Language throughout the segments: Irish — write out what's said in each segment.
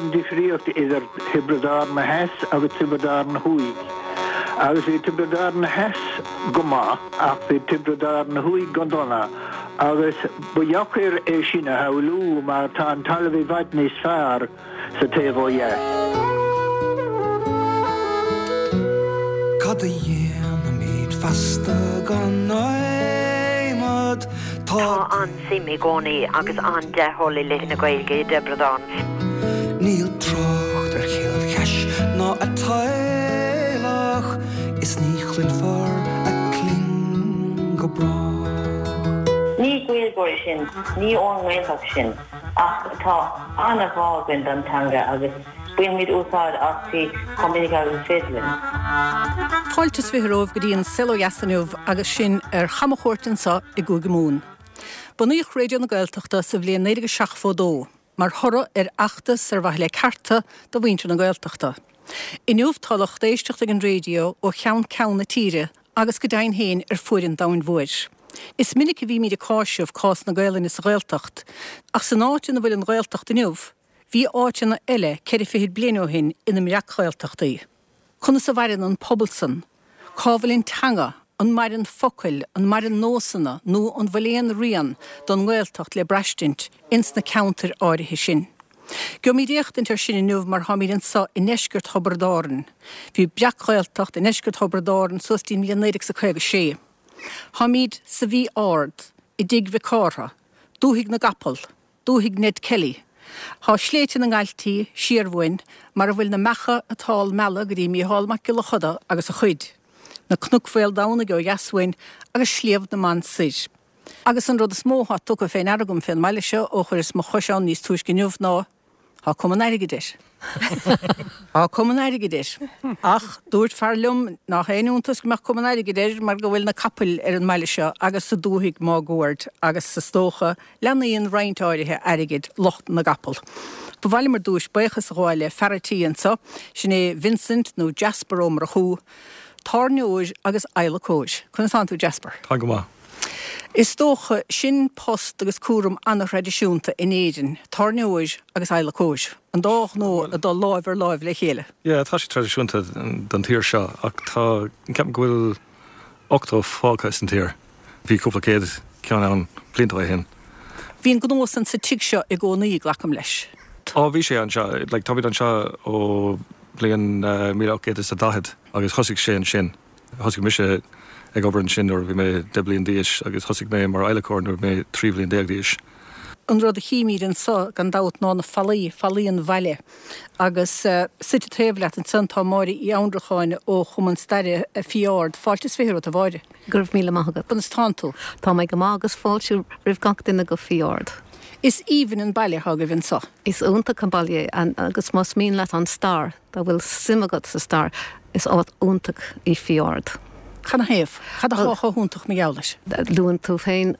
an difríocht idir Thiobraid Árann Theas agus Tiobraid Árann Thuaidh. Agus bhí Tiobraid Árann Theas go maith ach bhí Tiobraid Árann Thuaidh go dona agus ba dheacair é sin a shamhlú mar tá an talamh i bhfad níos fearr sa taobh ó dheas. Cad a dhéanfaimid feasta gan adhmad? Tá an-suim i gcónaí agus an-dea-thoil i leith na Gaeilge i dTiobraid Árann. Níl trácht ar Chill Chais ná a teaghlach is ní chluinfear a cling go brách. Ní Gaeilgeoirí sinn, ní ón nGaeltacht sinn, ach tá an-ghrá againn don teanga agus bainimid úsáid aisti chomh minic agus is féidir linn. Fáilte is 20 romhaibh go dtí an Saol Ó Dheas inniu agus sinn ar chamchuairt anseo i gCúige Mumhan. Bunaíodh Raidió na Gaeltachta sa bhliain 1972 mar thoradh ar fheachtas ar mhaithe le cearta do mhuintir na Gaeltachta. Inniu tá lucht éisteachta ag an raidió ó cheann ceann na tíre agus go deimhin féin ar fuaid an domhain mhóir. Is minic a bhímid ag cáiseamh cás na Gaelainne sa Ghaeltacht, ach san áit ina bhfuil an Ghaeltacht inniu, bhí áiteanna eile ceithre fichid bliain ó shin ina mbreac-Ghaeltachtaí. Conas a mhaireann an pobal san? Cá bhfuil an teanga? An maireann focail? An maireann nósanna? Nó an bhfuil aon rian don nGaeltacht le braistint ins na ceantair áirithe sin? Gheobhaimid éachtaint ar sin inniu mar táimid anso i ndeisceart Thiobraid Árann. Bhí breac-Ghaeltacht i ndeisceart Thiobraid Árann suas dtí'n mbliain 1956. Táimid sa Mhí Ard, i dTigh Mhic Cártha, dúthaigh na gcapall, dúthaigh Ned Kelly. Thá sléibhte na nGailtí siar uainn mar a bhfuil na meacha atá ag mealladh go dtí Mícheál Mac Giolla Choda agus a chuid, na Cnoic Mhaoldomhnaigh ó dheas uainn agus Sliabh na mBan soir. Agus an rud is mó atá tugtha fé ndeara agam fén mbaile seo ó chuireas mo chois ann níos túisce inniu ná, Tá cuma an airgid air. Tá cuma an airgid air. Ach dúirt fear liom nach aon iontas go mbeadh cuma an airgid air mar go bhfuil na capaill ar an mbaile seo agus sa dúthaigh máguaird agus is dócha leanaíonn roinnt áirithe airgid lucht na gcapall. Ba mhaith liom ar dtúis buíochas a ghabháil le fear a' tí anso, sin é Vincent nó Jasper Ó Murchú, tábhairneoir agus adhlacóir. Conas tánn tú Jasper? Tá go maith. Is dócha, sin post agus cúram an-thraidisiúnta in Éirinn, tábhairneoir agus adhlacóir, an dá ghnó ag dul láimh ar láimh le chéile. Yeah, tá sé traidisiúnta don tír seo ach tá, ceapaim go bhfuil 80 fágtha san tír. Bhí cúpla céad ceann ann blianta ó shin. Bhí an gnó san sa tigh seo i gcónaí, glacaim leis. Á, bhí sé anseo, like táimid anseo ó bhliain 1840 agus thosaigh sé ansin. Thosaigh mise ag obair ansin nuair a bhí mé 10 bliain d'aois agus thosaigh mé mar adhlacóir nuair a bhí mé 13 bhliain d'aois. An rud a chímíd anso gan dabht ná na fallaí, fallaí an bhaile. Agus suite taobh leat ansan tá Máire Uí Annracháin ó Chumann Staire Fí Ard. Fáilte is 20 romhat a Mháire. Go raibh míle maith agat. Conas tánn tú? Tá mé go maith agus fáilte roimh gach duine go Fí Ard. Is aoibhinn an baile atá agaibh anso. Is iontach an baile é agus más mian leat an stair, Dá bhfuil suim agat sa stair, is áit iontach í Fí Ard. Canathaobh? Cad atá chomh hiontach mar gheall air? Luann tú féin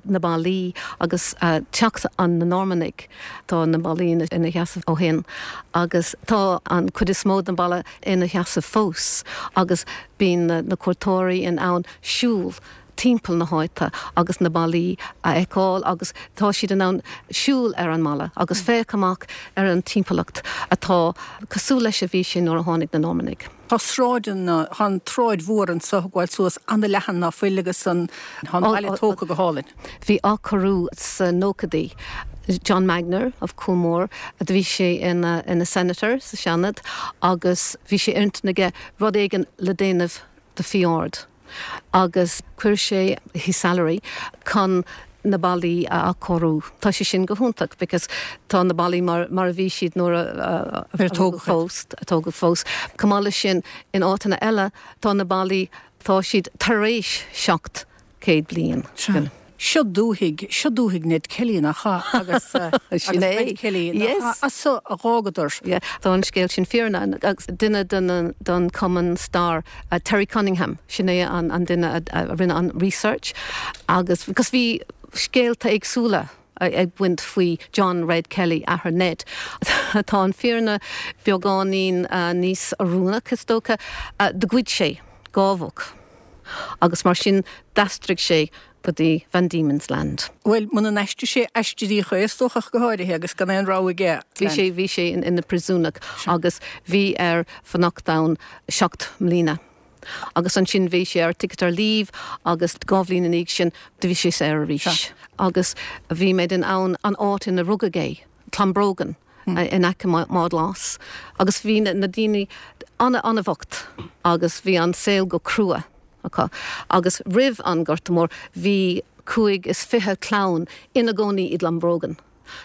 na ballaí agus teacht an na Normannaigh. Tá na ballaí ina sheasamh ó shin agus tá an cuid is mó den bhalla ina sheasamh fós agus bíonn na cuairteoirí in ann siúl timpeall na háite agus na ballaí a fheiceáil agus tá siad in ann siúl ar an mballa agus féach amach ar an timpeallacht atá cosúil leis a bhí sé nuair a tháinig na Normannaigh. Tá sráideanna, tá an tsráid mhór anso ag gabháil suas ana-leathan ná fuil agus an, tá an baile tógtha go hálainn. Bhí athchóiriú sa nóchaidí. John Magnier of Coolmore, do bhí sé ina ina Senator sa Seanad agus bhí sé ar intinn aige rud éigin le déanamh do Fí Ard. agus chuir sé his salary chun na ballaí a athchóiriú. Tá sé sin go hiontach because tá na ballaí mar mar a bhí siad nuair a a tógadh fós, a tógadh fós. Chomh maith leis sin, in áiteanna eile tá na ballaí, tá siad tar éis 700 bliain. Sea. Seo dúthaigh, seo dúthaigh Ned Kelly, nach ea? Agus, Sin agus Red é. Kelly, nach ea? Yes. As so a dh'fhágadar. Yeah. Tá an scéal sin fíor agus duine den, den Cumann Stair, Terry Cunningham, sin é an, an duine a, a rinne an research agus, because bhí scéalta éagsúla ag baint faoi John Red Kelly, athair Ned. Tá an fírinne beagáinín níos oiriúnach, is dócha. Do ghoid sé dhá mhuc. Agus mar sin d'aistrigh sé go dtí Van Diemen's Land. Bhuel, muna n-aistrigh sé, aistríodh é, is dócha, ach go háirithe, agus gan aon rogha aige. Bhí sé, bhí sé ina phríosúnach agus bhí air fanacht ann 7 mbliana. Agus ansin bhí sé ar ticket to leave agus 2 bhliain ina dhiaidh sin do bhí sé saor arís. Agus bhí mé in ann an áit ina rugadh é, Clonbrogan, in aice Maigh Ghlas. Agus bhí na daoine an-an-bhocht agus bhí an saol go crua acu. Agus roimh an Gorta Mór bhí 25 clann ina gcónaí i gClonbrogan.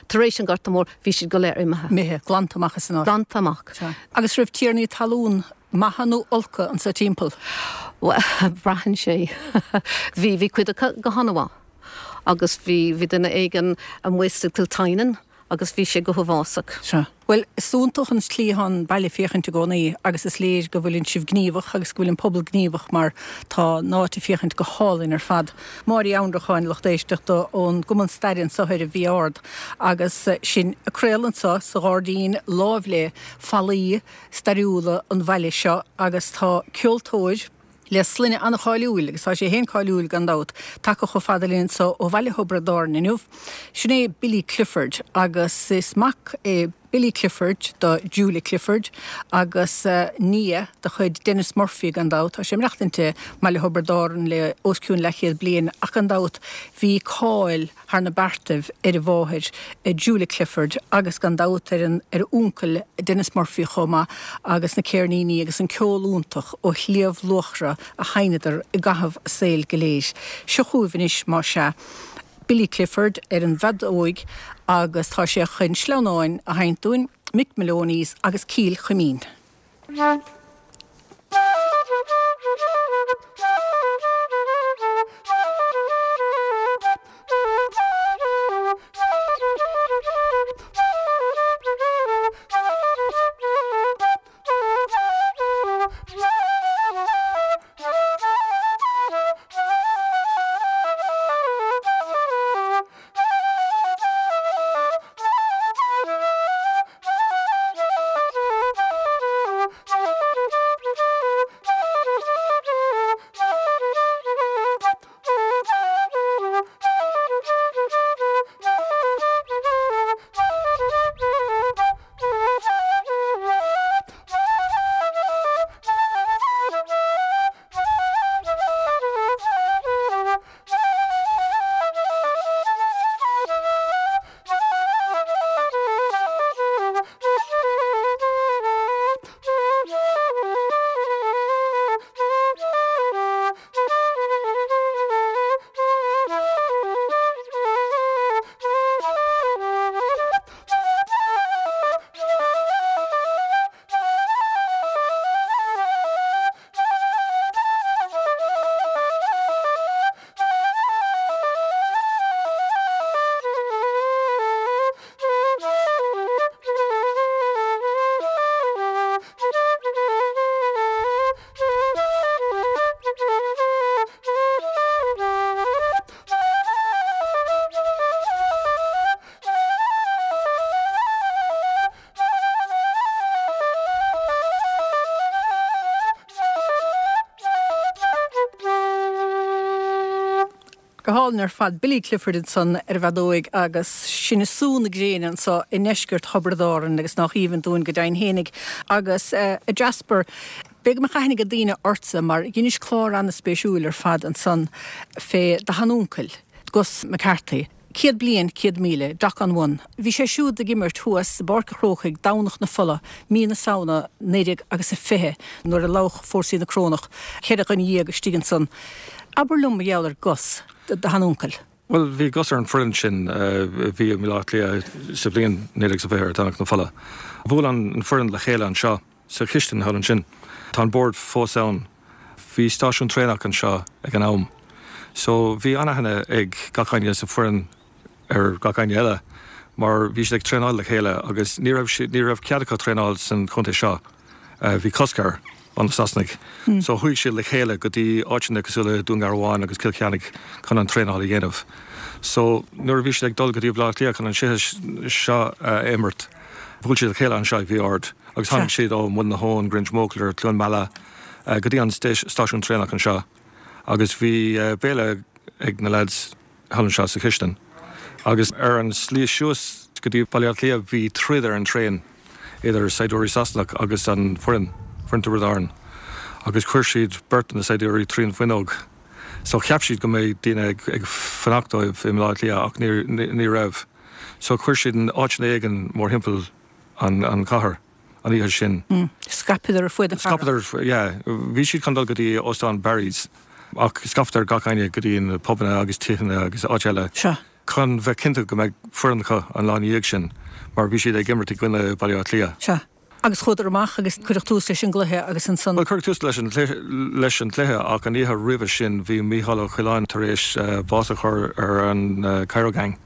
Tar éis an Ghorta Mhóir bhí siad go léir imithe. Imithe, glanta amach as an áit. Glanta amach. Sea. Agus raibh tiarnaí talún maithe nó olca anso timpeall? Bhuel, braitheann sé. Bhí, bhí cuid acu go han-mhaith. Agus bhí, bhí duine éigin amuigh sa Kiltynan agus bhí sé go huafásach. Sea. Bhuel, is iontach an tslí atá an baile ag féachaint i gcónaí agus is léir go bhfuileann sibh gníomhach agus go bhfuil an pobal gníomhach mar tá an áit ag féachaint go hálainn ar fad. Máire Uí Annracháin, lucht éisteachta ón gCumann Staire anso ar an Mhí Ard agus sinn ag craoladh anso sa ghairdín láimh le fallaí stairiúla an bhaile seo agus tá ceoltóir, le sloinne an-cháiliúil, agus tá sé féin cáiliúil gan dabht, tagtha chomh fada linn anso ó bhaile Thiobraid Árann inniu. Sin é Billy Clifford, agus is mac é Billy Clifford do Julia Clifford, agus nia de chuid Denis Murphy gan dabht. Tá sé ag maireachtaint i mbaile Thiobraid Árann le os cionn leathchéad bliain, ach gan dabht bhí cáil thar na beartaibh ar a mháthair Julia Clifford agus gan dabht ar an ar a uncail Denis Murphy chomh maith agus na céirníní agus an ceol iontach ó Shliabh Luachra a sheinneadar i gcaitheamh a saoil go léir. Seo chugaibh anois más ea Billy Clifford ar an bhfeadóig agus tá sé chun sleamhnáin a sheinnt dúinn, Mick Moloney's agus Cill Chuimín. Go hálainn ar fad. Billy Clifford ansan ar an bhfeadóig agus sinn ag sú na gréine anso i ndeisceart Thiobraid Árann agus nách aoibhinn dúinn go deimhin fhéinig. Agus a Jasper, b'fhéidir go mbeadh aithne ag daoine ortsa mar dheinis clár an-spéisiúil ar fad ansan fé do sheanuncail, Gus McCarthy. 100 Bliain, 100,000, Doc on One. Bhí sé siúd ag imirt thuas i bPáirc a' Chrócaigh Domhnach na Fola, mí na Samhna 19 agus a 20 nuair a lamhach fórsaí na Corónach 14 dhuine istigh ansan. Abair liom mar gheall ar Gus, do sheanuncail. Bhuel, bhí Gus ar an foireann sin a bhí i mBaile Átha Cliath sa bhliain 1920 ar Domhnach na Fola. Bhuail an foireann le chéile anseo sa chistin thall ansin. Tá an bord fós ann. Bhí stáisiún traenach anseo ag an am so bhí an-aithne ag gach éinne sa foireann ar gach éinne eile mar bhí siad ag traenáil le chéile agus ní raibh siad, ní raibh cead acu traenáil san chontae seo, bhí cosc air ó na Sasanaigh. So chuaigh siad le chéile go dtí áiteanna cosúil le Dún Garbhán agus Cill Cheannaigh chun an traenáil a dhéanamh. So nuair a bhí siad ag dul go dtí Baile Átha Cliath chun an cluiche seo a imirt, bhuail siad le chéile anseo i bhFiodh Ard agus tháinig siad ó Muileann na hAbhann, Grangemockler, Cluain Meala, go dtí an stáisiún traenach anseo. Agus bhí béile ag na lads thall anseo sa chistin. Agus ar an slí suas go dtí Baile Átha Cliath bhí troid ar an traein idir saighdiúirí Sasanach agus an foireann, foireann Tiobraid Árann. Agus chuir siad beirt de na saighdiúirí trín bhfuinneog. So cheap siad go mbeidh daoine ag fanacht dóibh i mBaile Átha Cliath ach ní raibh. So chuir siad in áiteanna éigin mórthimpeall an chathair an oíche sin. Scaipeadar ar fuaid na cathrach. Scaipeadar, yeah. Bhí siad chun dul go dtí Óstán Barry's ach scaipeadar gach éinne go dtí na pubanna agus tithe agus áit eile. Sea. Chun bheith cinnte go mbeidh foireann acu an lá ina dhiaidh sin mar bhí siad ag imirt i gcoinne Baile Átha Cliath. Sea. Agus chuadar amach agus cuireadh tús leis an gcluiche agus ansan. Bhuel, cuireadh tús leis an leis an gcluiche ach an oíche roimhe sin bhí Mícheál Ó Coileáin tar éis bás a chur ar an Cairo Gang.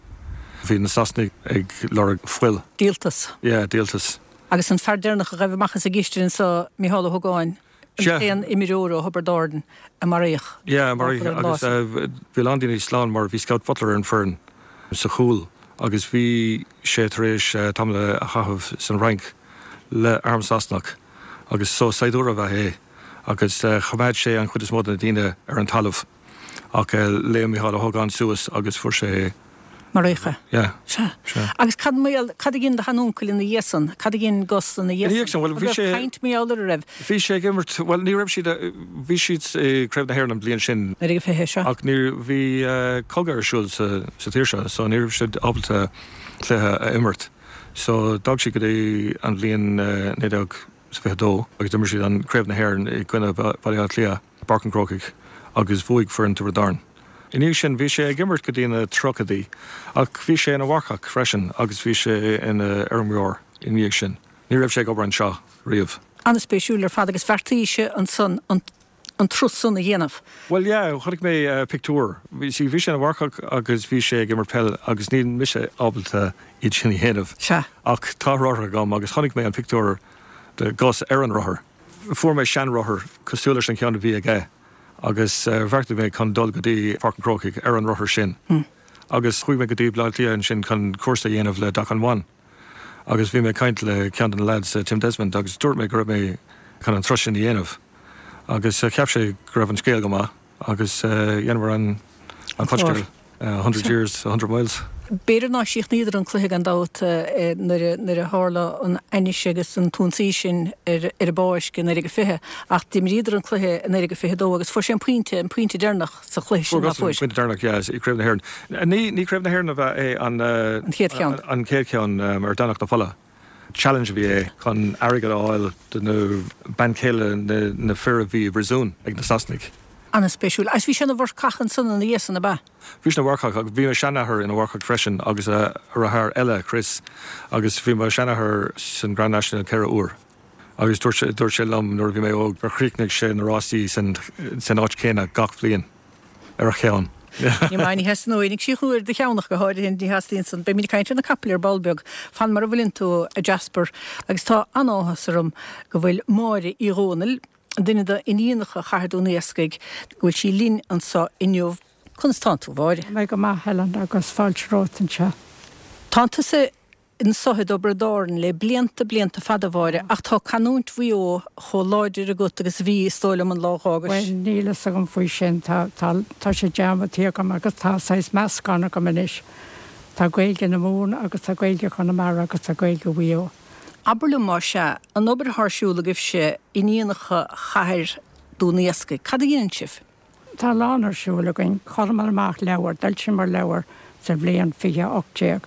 Bhí na Sasanaigh ag lorg fuil. Díoltas. Yeah, díoltas. Agus an fear deireanach a ghaibh amach as an gcistin anso, Mícheál Ó hÓgáin, an t-aon imreoir ó Thiobraid Árann a maraíodh. Yeah, maraíodh agus bhí a lán daoine slán mar bhí Scout Butler ar an foireann sa chúl agus bhí sé tar éis tamall a chaitheamh san Fhrainc le arm Sasanach agus so saighdiúir ab ea é agus choimeád sé an chuid is mó de na daoine ar an talamh ach léim Mícheál Ó hÓgáin suas agus fuair sé Maraíodh é. Yeah. Sea. Sea. Agus cad mar gheall, cad a dhein do sheanuncail ina dhiaidh san? Cad a dhein Gus ina dhiaidh san? Ina dhiaidh san, bhuel, bhí sé. An raibh caint mar gheall air, an raibh? Bhí sé ag imirt, bhuel, ní raibh siad, bhí siad i Craobh na hÉireann an bhliain sin. 1920, sea. Ach ní, bhí cogadh ar siúl sa, sa tír seo, so ní raibh siad ábalta cluiche a imirt. So d'fhág siad go dtí an bhliain 1922 agus d'imir siad an Craobh na hÉireann i gcoinne Bhaile Átha Cliath. i bPáirc an Chrócaigh agus bhuaigh foireann Tiobraid Árann. I ndiaidh sin bhí sé ag imirt go dtí na tríochaidí ach bhí sé ina mharcach freisin agus bhí sé ina fheirmeoir i ndiaidh sin. Ní raibh sé ag obair anseo riamh. An-spéisiúil ar fad agus bheartaís ansan an turas san a dhéanamh. Bhuel yeah, chonaic mé pictiúr. See, bhí sé ina mharcach agus bhí sé ag imirt peil agus níl mise ábalta iad sin a dhéanamh. Sea. Ach tá rothar agam agus chonaic mé an pictiúr de Gus ar an rothar. Fuair mé seanrothar cosúil leis an cheann a bhí aige agus bheartaigh mé chun dul go dtí Páirc an Chrócaigh ar an rothar sin. Agus chuaigh mé go dtí Baile Átha Cliath ansin chun cúrsa a dhéanamh le Doc On One. Agus bhí mé ag caint le ceann de na lads, Tim Desmond, agus dúirt mé go raibh mé chun an turas sin a dhéanamh. Agus cheap sé go raibh an scéal go maith. Agus dheineamar an coiscéim, a hundred years, a hundred miles. B'fhéidir nár chríochnaíodar an cluiche gan dabht nuair a tharla an ainnise agus an t-ionsaí sin ar an bpáirc i 1920 ach d'imríodar an cluiche i 1922 agus fuair sé an pointe, an pointe deireanach sa chluiche sin, ná fuair? Fuair Gus an pointe deireanach, yeah, i gCraobh na hÉireann. Ní Craobh na hÉireann ab ea é an An chéad cheann. An chéad cheann ar Domhnach na Fola. Challenge a bhí é chun airgead a fháil do na bean chéile na fir a bhí i bpríosún ag na Sasanaigh. An-spéisiúil. Agus bhí sé ina mharcach ansan ina dhiaidh san, ab ea? Bhí sé ina mharcach agus bhí mo sheanathair ina mharcach freisin agus a dheartháir eile, Chris, agus bhí mo sheanathair san Grand National 4 uair. Agus dúirt sé, dúirt sé liom nuair a bhí mé óg gur chríochnaigh sé na rásaí san áit chéanna gach bliain. ar a cheann. Ní maith, ní theastaíonn uainn ag síochnú ar do cheann ach go háirithe, ní theastaíonn san. Beimid ag caint ar na capaill ar ball beag. Fan mar a bhfuileann tú, a Jasper. Agus tá an-áthas orm go bhfuil Máire Uí Dhomhnaill, duine d'iníonacha Chathair Dún Iascaigh, go bhfuil sí linn anso inniu. Conas tánn tú, a Mháire? Tá mé go maith, Helen, agus fáilte romhat anseo. Tánn tusa anso i dTiobraid Árann le blianta, blianta fada, a Mháire, ach tá canúint Mhaigh Eo chomh láidir agat agus a bhí, is dóigh liom, an lá a dh'fhágais. Bhuel, níl fhios agam faoi sin. Tá, tá, tá sé dearmadta agam agus tá saghas meascán agam anois. Tá Gaeilge na Mumhan agus tá Gaeilge Chonamara agus tá Gaeilge Mhaigh Eo. Abair liom, más ea, an obair atá ar siúl agaibhse, iníonacha chathair Dún Iascaigh, cad a dheineann sibh? Tá a lán ar siúl againn. Chuireamar amach leabhar, d'fhoilsíomar leabhar sa bhliain 2018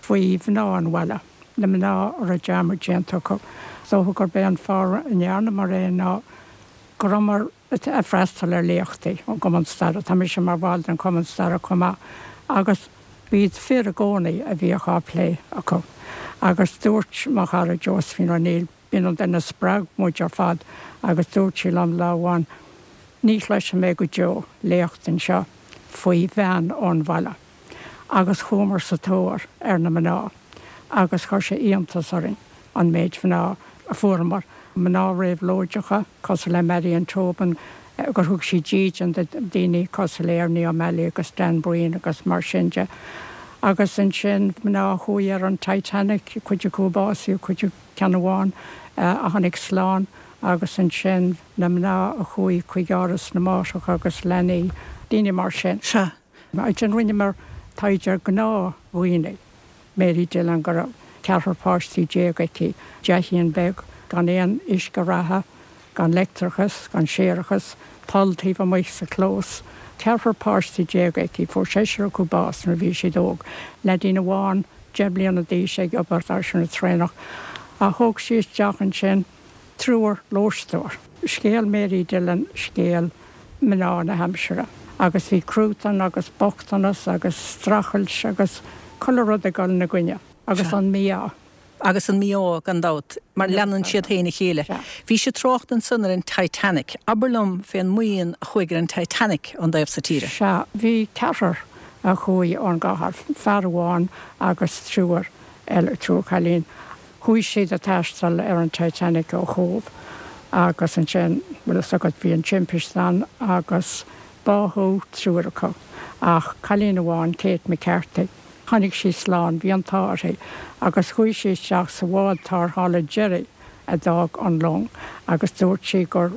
faoi mhná an bhaile, na mná a raibh dearmad déanta acu. Is dócha gurb é an fáth a ndearnamar é ná go rabhamar ag freastal ar léachtaí ón gCumann Staire, tá mise mar bhall den Chumann Staire chomh maith, agus b'iad fir i gcónaí a bhíodh á plé acu. Agus dúirt mo chara Josephine O'Neill, B'in an duine a spreag muid ar fad agus dúirt sí liom lá amháin, ní chloisfidh mé go deo léacht anseo faoi bhean ón bhaile. Agus chuamar sa tóir ar na mná agus chuir sé iontas orainn an méid mhná a fuaireamar, mná réabhlóideacha cosúil le Marian Tobin, gur thug sí dídean do daoine cosúil le Ernie O'Malley agus Dan Breen agus mar sin de. Agus ansin mná a chuaigh ar an Titanic, cuid acu a básaíodh, cuid acu, ceann amháin a tháinig slán agus ansin na mná a chuaigh chuig Áras na Máithreacha agus Leanaí, daoine mar sin. Sea. Ansin rinneamar taighde ar ghnáthdhaoine. Mary Dillon go raibh ceathrar páistí déag aici, teachín beag gan aon uisce reatha, gan leictreachas, gan séarachas, poll taobh amuigh sa chlós. Ceathrar páistí déag aici, fuair seisear acu bás nuair a bhí siad óg. Leaidín amháin, 10 mbliana d'aois, ag obair ar an traenach. Ach thóg sí isteach ansin triúr lóisteoir. Scéal Mary Dillon scéal mná na haimsire. Agus bhí cruatan agus bochtanas agus streachailt agus chuile rud ag dul ina gcoinne. Agus an mí-ádh. Agus an mí-ádh, gan dabht, mar leanann siad féin a chéile. Bhís ag trácht ansan ar an Titanic. Abair liom fén mbuíon a chuaigh ar an Titanic ón dtaobh so tíre. Sea, bhí ceathrar a chuaigh ón gcathair, fear amháin agus triúr eile, triúr cailín. Chuaigh siad ag taisteal ar an Titanic ó Chóbh agus ansin, bhfuil fhios agat, bhí an timpiste ann agus báthadh triúr acu ach cailín amháin, Kate McCarthy, tháinig sí slán, bhí an t-ádh uirthi agus chuaigh sí isteach sa bhád tarrthála deiridh a d'fhág an long agus dúirt sí gur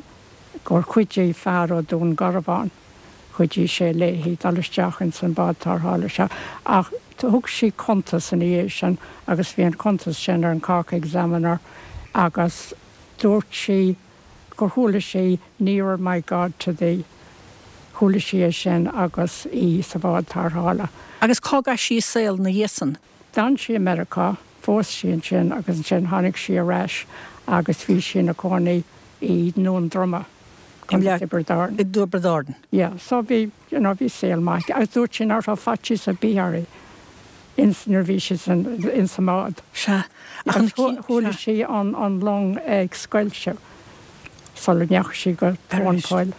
gur chuidigh fear ó Dún Garbhán, chuidigh sé léi dul isteach ins an bád tarrthála seo ach thug sí cuntas ina dhiaidh sin agus bhí an cuntas sin ar an Cork Examiner agus dúirt sí gur chuala sí Nearer My God to Thee, chuala sí é sin agus í sa bhád tarrthála. Agus cá gcaith sí a saol ina dhiaidh san? D'fhan sí i Meiriceá, phós sí ansin agus ansin tháinig sí ar ais agus bhí sí ina cónaí i nDún Droma, Contae Thiobraid Árann. I dTiobraid Árann. Yeah, so bhí, you know, bhí saol maith aici agus dúirt sí nach raibh faitíos ar bith uirthi ins, nuair a bhí sí san, ins an mbád. Sea, ach an, Agus chuala sí an, an long ag scoilteadh sula ndeachaigh sí go tóin poill.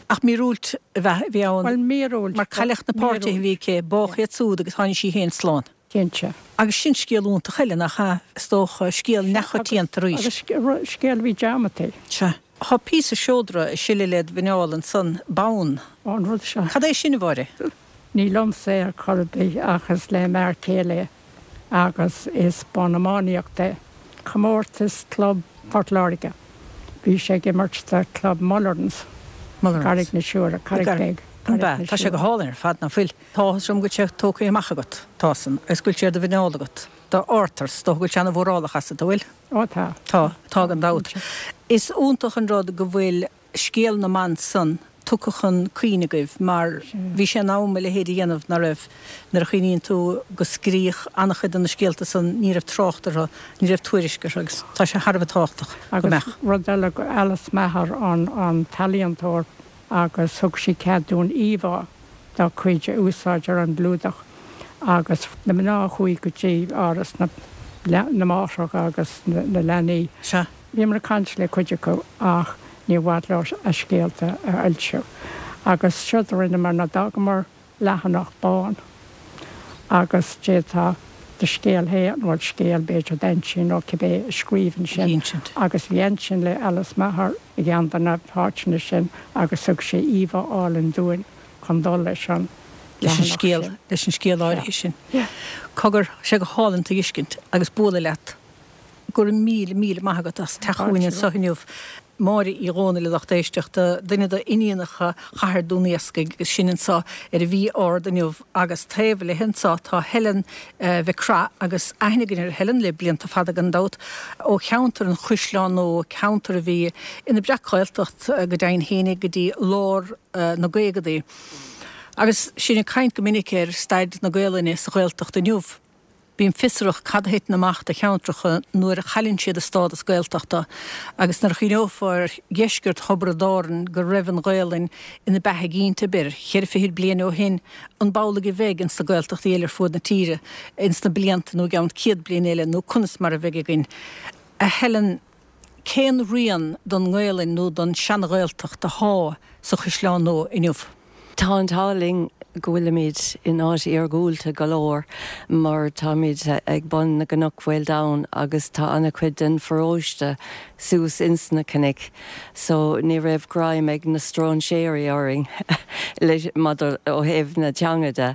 Ach míorúilt a bhí ann. Bhuel, míorúilt. Mar cailleadh na páirtithe a bhí aici, bádh iad súd agus tháinig sí féin slán. Cinnte. Agus sin scéal iontach eile, nach ea? Is dócha, scéal neachoitianta arís. Agus scéal a bhí dearmadta. Sea. Tá píosa seodra ag sileadh led mhuineál ansan, bonn. Ó, an rud seo. Cad é sin, a Mháire? Ní liomsa é ar chor ar bith ach is le m'fhear céile é agus is bonn iománaíochta é. Comórtas Club Phort Láirge. Bhí sé ag imirt do Club Mullerans, Carraig na Siúire, Carraig Bheag, Carraig na Siúire. Tá sé go hálainn ar fad, ná fuil? Tá áthas orm go bhfuil sé tógtha amach agat, tá san, agus go bhfuil sé ar do mhuineál agat. Do Arthur, is dócha go bhfuil sé ana-mhórálach asat, an bhfuil? Ó tá. Tá, tá gan dabht. Is iontach an rud go bhfuil scéal na mban san tugtha chun cuimhne agaibh mar bhí sé in am a leithéid a dhéanamh, ná raibh? Nuair a chuimhníonn tú go scríodh an-chuid de na scéalta san ní raibh trácht orthu, ní raibh tuairisc orthu agus tá sé thar a bheith tábhachtach go mbeadh. Agus rud eile, Alice Maher an t-ealaíontóir agus thug sí cead dúinn íomhá dá cuid a úsáid ar an gclúdach agus na mná a chuaigh go dtí áras na na máithreacha agus na leanaí. Sea. Bhíomar ag caint le cuid acu ach níor mhaith leo a scéalta a fhoilsiú. Agus séard a rinneamar ná d'fhágamar leathanach bán agus d'fhéadfá do scéal féin, bhuel scéal b'fhéidir d'aintín nó cibé, a scríobh ansin agus bhí aintín le Alice Maher i gceann de na háiteanna sin agus thug sí íomhá álainn dúinn chun dul leis an leathanach sin. Leis an scéal áirithe sin. Cogar, sé go hálainn tú a fheiscint agus bualadh leat. Go raibh míle, míle maith agat as teacht chugainn anseo inniu. Máire Uí Dhónaill, a lucht éisteachta, duine d'iníonacha chathair Dún Iascaigh agus sinn anseo ar an Mhí Ard inniu agus taobh léi anseo tá Helen Mhic Craith agus aithne againn ar Helen le blianta fada gan dabht ó cheantar an Chaisleáin Nua, ceantar a bhí ina breac-Ghaeltacht go deimhin fhéinig go dtí lár na gcaogadaí. Agus sinn ag caint go minic ar staid na Gaolainne sa Ghaeltacht inniu. Bím fiosrach cad a thiteann amach do cheantracha nuair a chailleann siad a stádas Gaeltachta agus nuair a chuimhneofá ar dheisceart Thiobraid Árann go raibh an Ghaelainn ina beatha ginte, b'fhéidir, cheithre fichid bliain ó shin, an b'amhlaidh a bheidh ins na Gaeltachtaí eile ar fuaid na tíre ins na blianta nó i gceann 100 bliain eile nó conas mar a bheidh againn? A Helen, cén rian don nGaelainn nó don seana-Ghaeltacht athá sa Chaisleán Nua inniu? Tá an t-ádh linn go bhfuilimid in áit iargúlta go leor mar táimid ag bun na gcnoc Mhaoldomhain agus tá an-chuid den pharóiste suas ins na cnoic so ní raibh greim ag na stróinséirí orainn maidir ó thaobh na teanga de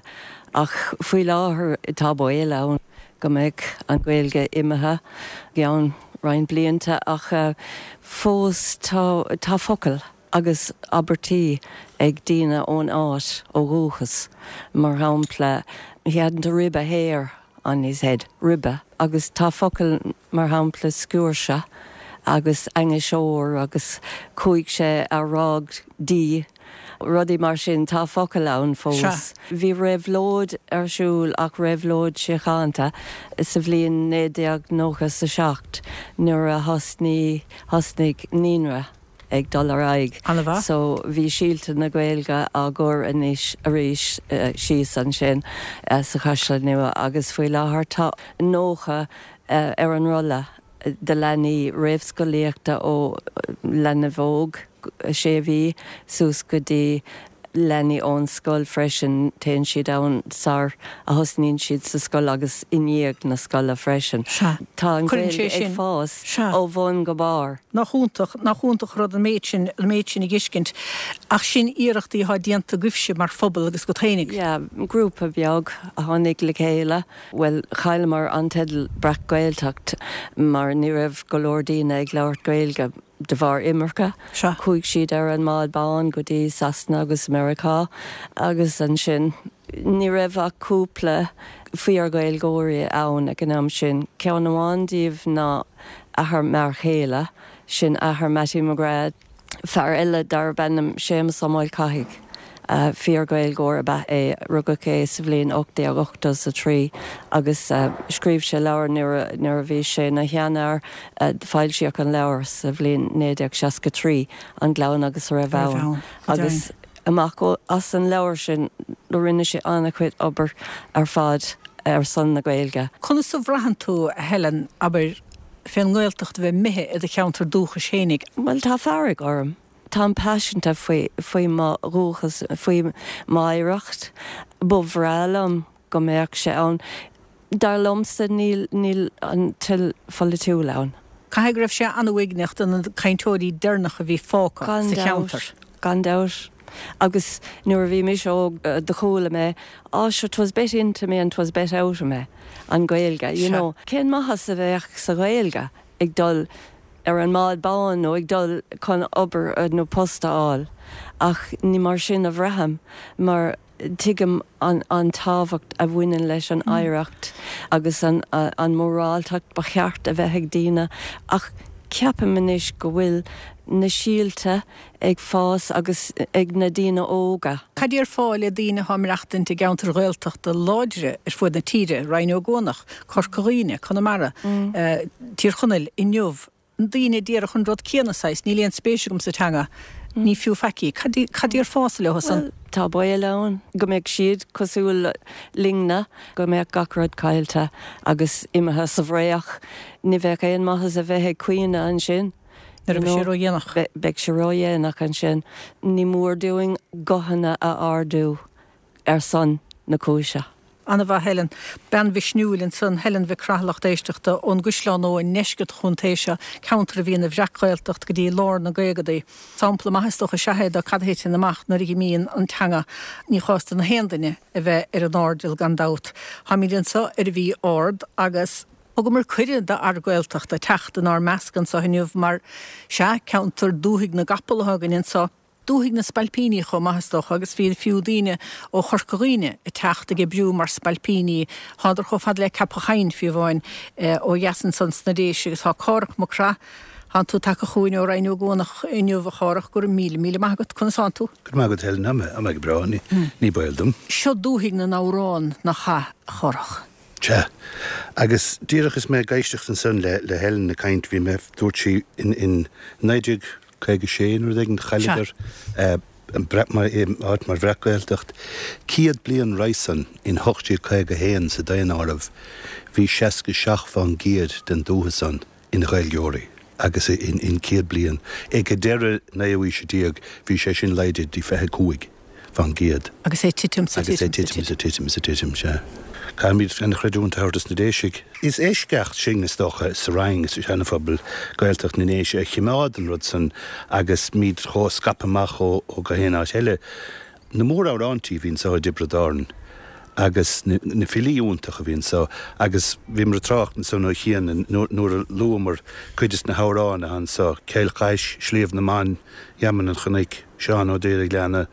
ach faoi láthair tá baol ann go mbeidh an Ghaeilge imithe i gceann roinnt blianta ach fós tá tá focail agus abairtí ag daoine ón áit ó dhúchas, mar shampla, he hadn't a rib of hair on his head, ribe, agus tá focail mar shampla sciúirse agus ainniseoir agus chuaigh sé a rádh di, rudaí mar sin, tá focail ann fós. Bhí réabhlóid ar siúl ach réabhlóid síochánta sa bhliain 1997 nuair a thosnaigh naíonra. ag dul ar aghaidh. An-mhaith. So bhí síolta na Gaeilge á gcur anois arís síos ansin sa Chaisleán Nua agus faoi láthair tá 90 ar an rolla de leanaí réamhscolaíochta ó leanbh óg, sé mhí, suas go dtí leanaí ón scoil freisin, téann siad ann sar a thosnaíonn siad sa scoil agus i ndiaidh na scoile freisin. Sea. Tá an Cuireann sé Ghaeilge ag sin. fás Sea. ó bhun go barr. Nach iontach, nach iontach rud an méid sin, an méid sin a dh'fheiscint. Ach sin iarrachtaí atá déanta agaibhse mar phobal agus agat fhéinig. Yeah, grúpa beag a tháinig le chéile. Bhuel, chailleamar an teideal Breac-Ghaeltacht mar ní raibh go leor daoine ag labhairt Gaeilge. De bharr imirce, chuaigh siad ar an mbád bán go dtí Sasana agus Meiriceá agus ansin ní raibh ach cúpla fíor-Ghaeilgeoirí ann ag an am sin. Ceann amháin díobh ná athair m'fhear chéile, sin athair Mattie McGrath. Fear eile darb ainm Séamus Ó Maolchathaigh. Fíor-Ghaeilgeoir ab ea é. Rugadh é sa bhliain 1883 agus scríobh sé leabhar nuair a bhí sé ina sheanfhear. Foilsíodh an leabhar sa bhliain 1963, An Gleann agus a Raibh Ann, agus amach as an leabhar sin rinne sé an-chuid obair ar fad ar son na Gaeilge. Conas a bhraitheann tú, a Helen, abair, fén nGaeltacht a bheith imithe i do cheantar dúchais fhéinig? Bhuel, tá fearg orm. Táim paiseanta faoi, faoi mo dhúchas, faoi m'oidhreacht. Ba bhreá liom go mbeadh sé ann. Dar liomsa, níl, níl an toil pholaitiúil ann. Caithfidh go raibh sé an-uaigneach do na cainteoirí deireanacha a bhí fágtha sa cheantar. Gan dabht. Agus nuair a bhí mise óg do chuala mé, Á sure 'twas bet into me and 'twas bet out of me, an Ghaeilge, you know. Cén maitheas a bheadh sa Ghaeilge ag dul ar an mbád bán nó ag dul chun obair nó post a fháil ach ní mar sin a bhraithim mar tuigim an tábhacht a bhaineann leis an oidhreacht agus an mhoráltacht ba cheart a bheith ag daoine ach ceapaim anois go bhfuil na síolta ag fás agus ag na daoine óga. Cad déarfá le daoine atá ag maireachtaint i gceantair Ghaeltachta láidre ar fuaid na tíre, Rinn Ó gCuanach, Corca Dhuibhne, Conamara, Tír Chonaill, inniu, daoine a déarfadh an rud céanna, saghas, níl aon spéis agam sa teanga, ní fiú faic í. Cad cad déarfása leo san? Bhuel, tá baol ann go mbeidh siad cosúil linne, go mbeadh gach rud caillte agus imithe sa bhfraoch. Ní bheadh aon maitheas a bheith ag caoineadh ansin. Nuair a bheidh sé ródhéanach. Beidh sé ródhéanach ansin. Ní mór dúinn guthanna a ardú ar son na cúise. An-mhaith Helen. Bean mhisniúil ansan, Helen Mhic Craith, lucht éisteachta, ón gCaisleán Nua i ndeisceart an chontae seo, ceantar a bhí ina Bhreac-Ghaeltacht go dtí lár na gcaogadaí. Sampla maith is dócha is ea é de cad a thiteann amach nuair a dh'imíonn an teanga. Ní chás do na haon duine a bheith ar an airdeall gan dabht. Táimid anso ar an Mhí Ard agus. Thugamar cuireadh d'fhear Gaeltachta teacht inár measc anso inniu mar, sea, ceantar dúthaigh na gcapall atá againn anso, dúthaigh na spailpíní chomh maith is dócha, agus bhí fiú daoine ó Chorca Dhuibhne ag teacht ag oibriú mar spailpíní, thánadar chomh fada le Ceapach Choinn, fiú amháin, ó dheas ansan sna Déise agus tá Cárthach Mac Craith, thánn tú tagtha chugainn ó Rinn Ó gCuanach inniu, a Chárthach, go raibh míle, míle maith agat, conas thánn tú? Go raibh maith agat Helen, tá mé go breá, ní baol dom. Seo dúthaigh na n-amhrán, nach ea, a Chárthach? Sea. Agus díreach is mé ag éisteacht ansan le le Helen ag caint, bhí mé, dúirt sí in in 1956 nó rud éigin, chailleadar an breac mar áit mar Bhreac-Ghaeltacht. Céad bliain roimhe san, in 1851 sa daonáireamh, bhí 67 fán gcéad den dúiche san ina Ghaeilgeoirí agus in céad bliain, ag deireadh naoú aoise déag, bhí sé sin laghdaithe dtí 25. fán gcéad. Agus é ag titim 's ag titim. Agus é ag titim is ag titim is ag titim, sea. Caithfimid an-chreidiúint a thabhairt dos na Déisigh. Is eisceacht sinn, is dócha, sa Rinn is sa Seana-Phobal, Gaeltacht na nDéise, a chimeád an rud san agus muid chomh scaipthe amach ó gach aon áit eile. Na mór-amhráintí a bhí anso i dTiobraid Árann agus na filí iontacha a bhí anso agus bhíomar ag trácht ansan ó chian nuair a luamar cuid des na hamhráin atá anso, Cill Chais, Sliabh na mBan, Gheamainn an Chnoic, Seán Ó Daoraghleanna,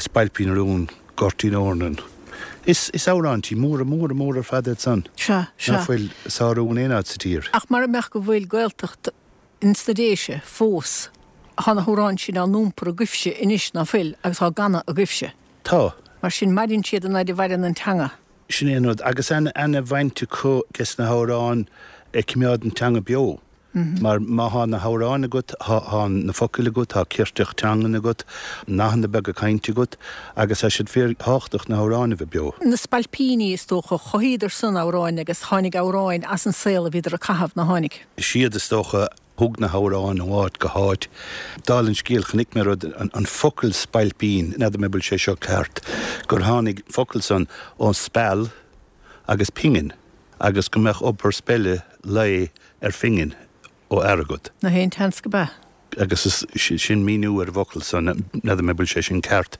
Spailpín na Rún, Goirtín Eornan. Is amhráintí móra móra móra ar fad iad san. Sea, sea. Ná fuil a sárú in aon áit sa tír. Ach mara mbeadh go bhfuil Gaeltacht ins na Déise fós, tá na hamhráin sin á n-iompar agaibhse anois, ná fuil, agus á gcanadh agaibhse. Tá. Mar sin, maireann siad an fhaid a mhaireann an teanga. Sin é an rud. Agus ana-bhaint acu des na hamhráin ag cimeád an teanga beo. Mar má thá na hamhráin agat, thá na focail agat, thá cirteach teangan agat, nathanna beaga cainte agat, agus thá siad fíor thábhachtach na hamhráin a bheith beo. Na spailpíní, is dócha, chothaíodar san amhráin agus tháinig amhráin as an saol a bhíodar ag caitheamh, ná tháinig? Is iad, is dócha, thug na hamhráin ó áit go háit. Dála an scéil, chonaic mé rud, an focal spailpín, n'fheadar mé an bhfuil sé seo ceart, gur tháinig focal san ó speal agus pingin, agus go mbeadh obair speile lae ar phingin ó fhear agat. Nach é an tseans go b'ea. Agus is sin míniú ar an bhfocal san, n'fheadar mé bhfuil sé sin ceart.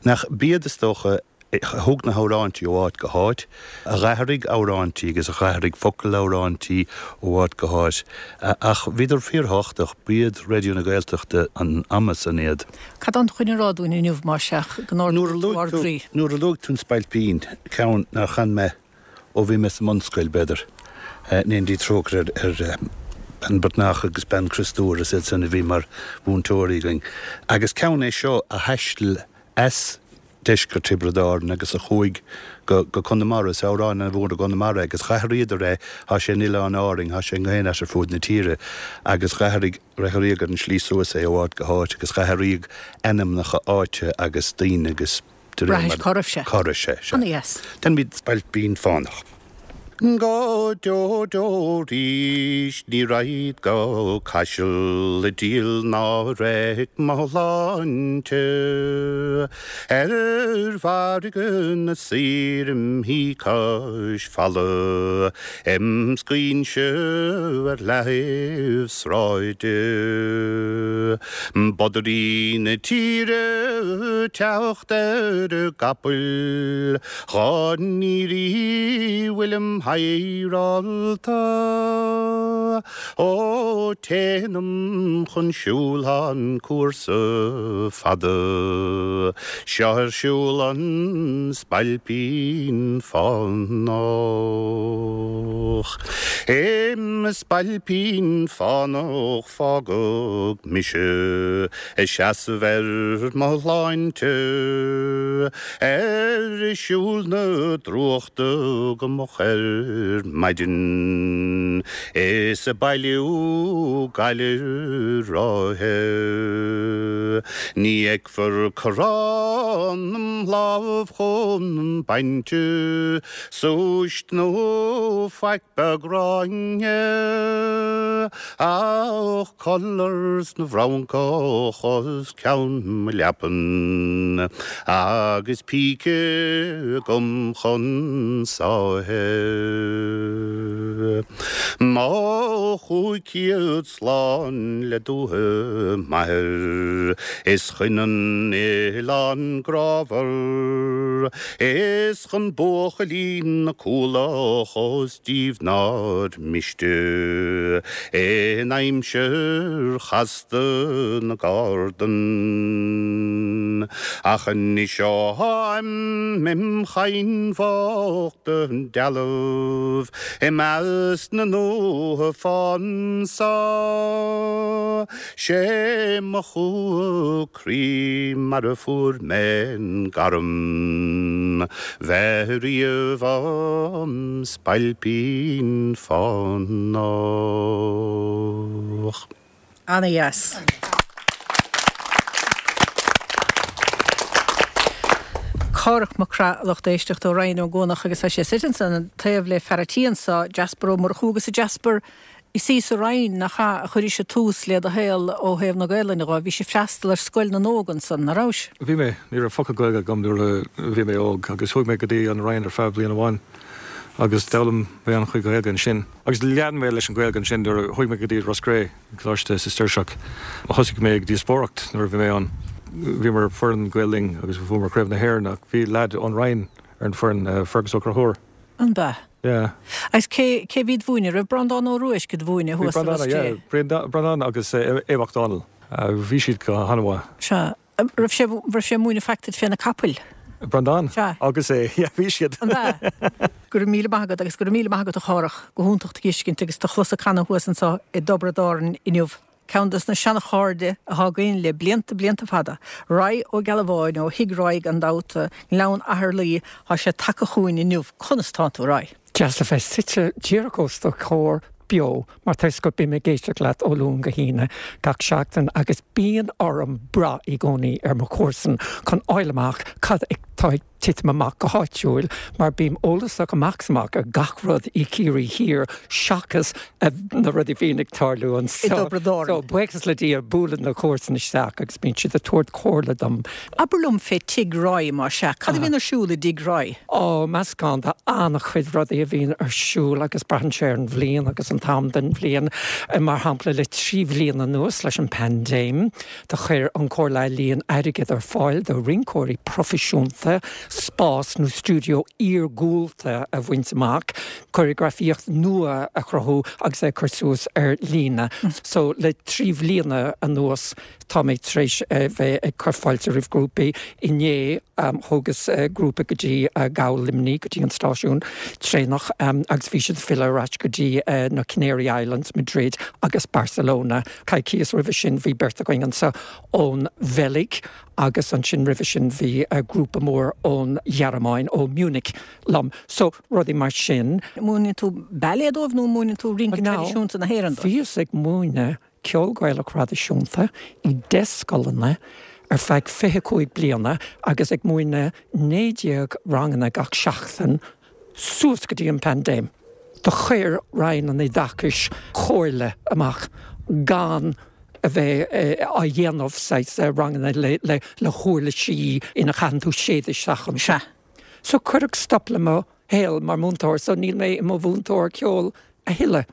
Nach b'iad is dócha a thug na hamhráintí ó áit go háit, a dh'athraigh amhráintí agus a dh'athraigh focail amhráintí ó áit go háit. Ach bhíodar fíorthábhachtach, b'iad Raidió na Gaeltachta an ama san iad. Cad tá chun a rá dúinn inniu, más ea, go n-ardóidh tú ár gcroí? Nuair a luaigh tú an Spailpín, ceann nár chan mé ó bhí mé sa mbunscoil, b'fhéidir. In éindí trócaire ar Bean Breatnach agus Bean Chriostúir, is iad san a bhí mar mhúinteoirí againn. Agus ceann é seo a thaistil as deisceart Thiobraid Árann agus a chuaigh go go Conamara. Is amhrán an-mhór i gConamara é agus dh'athraíodar é, thá sé in Oileáin Árainn, thá sé i ngach aon áit ar fuaid na tíre agus dh'athraigh dh'athraíodh ar an slí suas é ó áit go háit agus dh'athraíodh ainmneacha áite agus daoine agus De réir mar. Bhraithis cá raibh sé. Cá raibh sé, sea. Ana-dheas. Déanfaimid Spailpín Fánach. Go deo deo 'rís ní raghad go Caiseal ag díol ná reic mo shláinte ar mhargadh na saor im shuí cois falla im scaoinse ar leathaobh sráide. Bodairí na tíre teacht ar a gcapaill dhá n-iarraidh bhfuilim hadhráilte. Ó téanam chun siúil thá an cúrsa fada seo ar siúl an Spailpín Fánach. Im Spailpín Fánach. Fágadh mise ag seasamh ar mo shláinte ar siúl na drúchta go moch ar maidin is ag bailiú gaile ráithe. Ní fheicfear corrán im lámh chun bainte súist nó faic beag gráinne. Ach collars na bhfrancach os cionn mo leapan agus píce agam chun sáithe. Mo 500 slán le dúiche m'athar is chun an oileáin grámhar is chun buachaillí na Cualach ós díobh nár mhiste in aimsir chasta na gcardan. Ach anois ó tháim im chadhain bhocht dealbh i measc na ndútha fán so, 'sé mo chumha croí mar a fuair mé an gairm bheith riamh im spailpín fánach. Ana-dheas. Cárthach Mac Craith, a lucht éisteachta ó Rinn Ó gCuanach agus tá sé suite ansan taobh le fear a' tí anso, Jasper Ó Murchú agus a Jasper. Is í sa Rinn, nach ea, a chuiris tús le do shaol ó thaobh na Gaelainne dho. Bhís ag freastal ar Scoil na nÓg ansan, ná rabhais? Bhí mé. Ní raibh focal Gaeilge agam nuair a bhí mé óg agus chuaigh mé go dtí an Rinn ar feadh bliain amháin agus d'fhoghlaim mé an-chuid Gaeilge ansin. Agus lean mé leis an Ghaeilge ansin nuair a chuaigh mé go dtí Ros Cré, Coláiste Sistéirseach. Thosaigh mé ag díospóireacht nuair a bhí mé ann. Bhíomar ar foireann Gael Linn agus bhuamar Craobh na hÉireann ach bhí leaid ón Rinn ar an foireann, Fergus Ó Conchúir. An b'ea? Yeah. Agus cé, cé bhí id mhúineadh? Raibh Breandán Ó Ruaisc id mhúineadh thuas i Ros Cré? Yeah, Breandán agus Aodh Mac Dónaill. Bhí siad go han-mhaith. Sea. Raibh sé, raibh sé ag múineadh faic duit fé na capaill? Breandán? Sea. Agus é, yeah, bhí siad. An b'ea? Go raibh míle maith agat agus go raibh míle maith agat a Chárthach. Go hiontach do dh'fheiscint agus do chlos ag canadh thuas anso i dTiobraid Árann inniu. Ceann dos na seana-chairde athá againn le blianta, blianta fada, Roy Ó Gealbháin ó Thigh Roy gan dabht, nGleann Atharlaí, thá sé tagtha chugainn inniu. Conas tánn tú, Roy? Deas a bheith suite díreach os do chomhair beo mar tá 'fhios agat bím ag éisteacht leat ó Luan go hAoine gach seachtain agus bíonn orm brath i gcónaí ar mo chomharsain chun fháil amach cad atá ag titim amach go háitiúil mar bím eolasach amach is amach ar gach rud i Ciarraí Thiar seachas na rudaí a bhíonn ag tarlú anseo. I dTiobraid Árann. So, buíochas le Dia, buaileann na comharsana isteach agus bíonn siad ag tabhairt comhairle dom. Abair liom fé Tigh Roy, más ea. Cad a bhíonn ar siúl i dTigh Roy? Ó, meascán de an-chuid rudaí a bhíonn ar siúl agus braitheann sé ar an bhliain agus an t-am den bhliain. Mar shampla, le 3 bhliain anuas, leis an bpaindéim, Do chuir an Chomhairle Ealaíon airgead ar fáil do rinceoirí proifisiúnta spás nó stiúideo iargúlta a bhaint amach, cóiréagrafaíocht nua a chruthú agus é a chur suas ar líne. So le 3 bhliana anuas tá mé tar éis bheith ag cur fáilte roimh grúpaí. Inné thógas grúpa go dtí Gabhal Luimnigh, go dtí an stáisiún traenach agus bhí siad ag filleadh ar ais go dtí na Canary Islands, Madrid agus Barcelona. Coicíos roimhe sin bhí beirt againn anseo ón Bheilg agus ansin roimhe sin bhí grúpa mór ón Ghearmáin, ó Munich liom. So, rudaí mar sin. Múineann tú ballet dóibh nó múineann tú rince traidisiúnta na hÉireann dóibh? Bhíos ag múineadh ceol Gaelach thraidisiúnta i 10 scoileanna ar feadh 25 bliana agus ag múineadh 19 ranganna gach seachtain suas go dtí an paindéim. Do chuir Roinn an Oideachais comhairle amach gan a bheith á dhéanamh saghas ranganna le huirlisí ina chaitheann tú séideadh isteach iontu. So cuireadh stop le mo shaol mar mhúinteoir so níl mé i mo mhúinteoir ceoil a thuilleadh.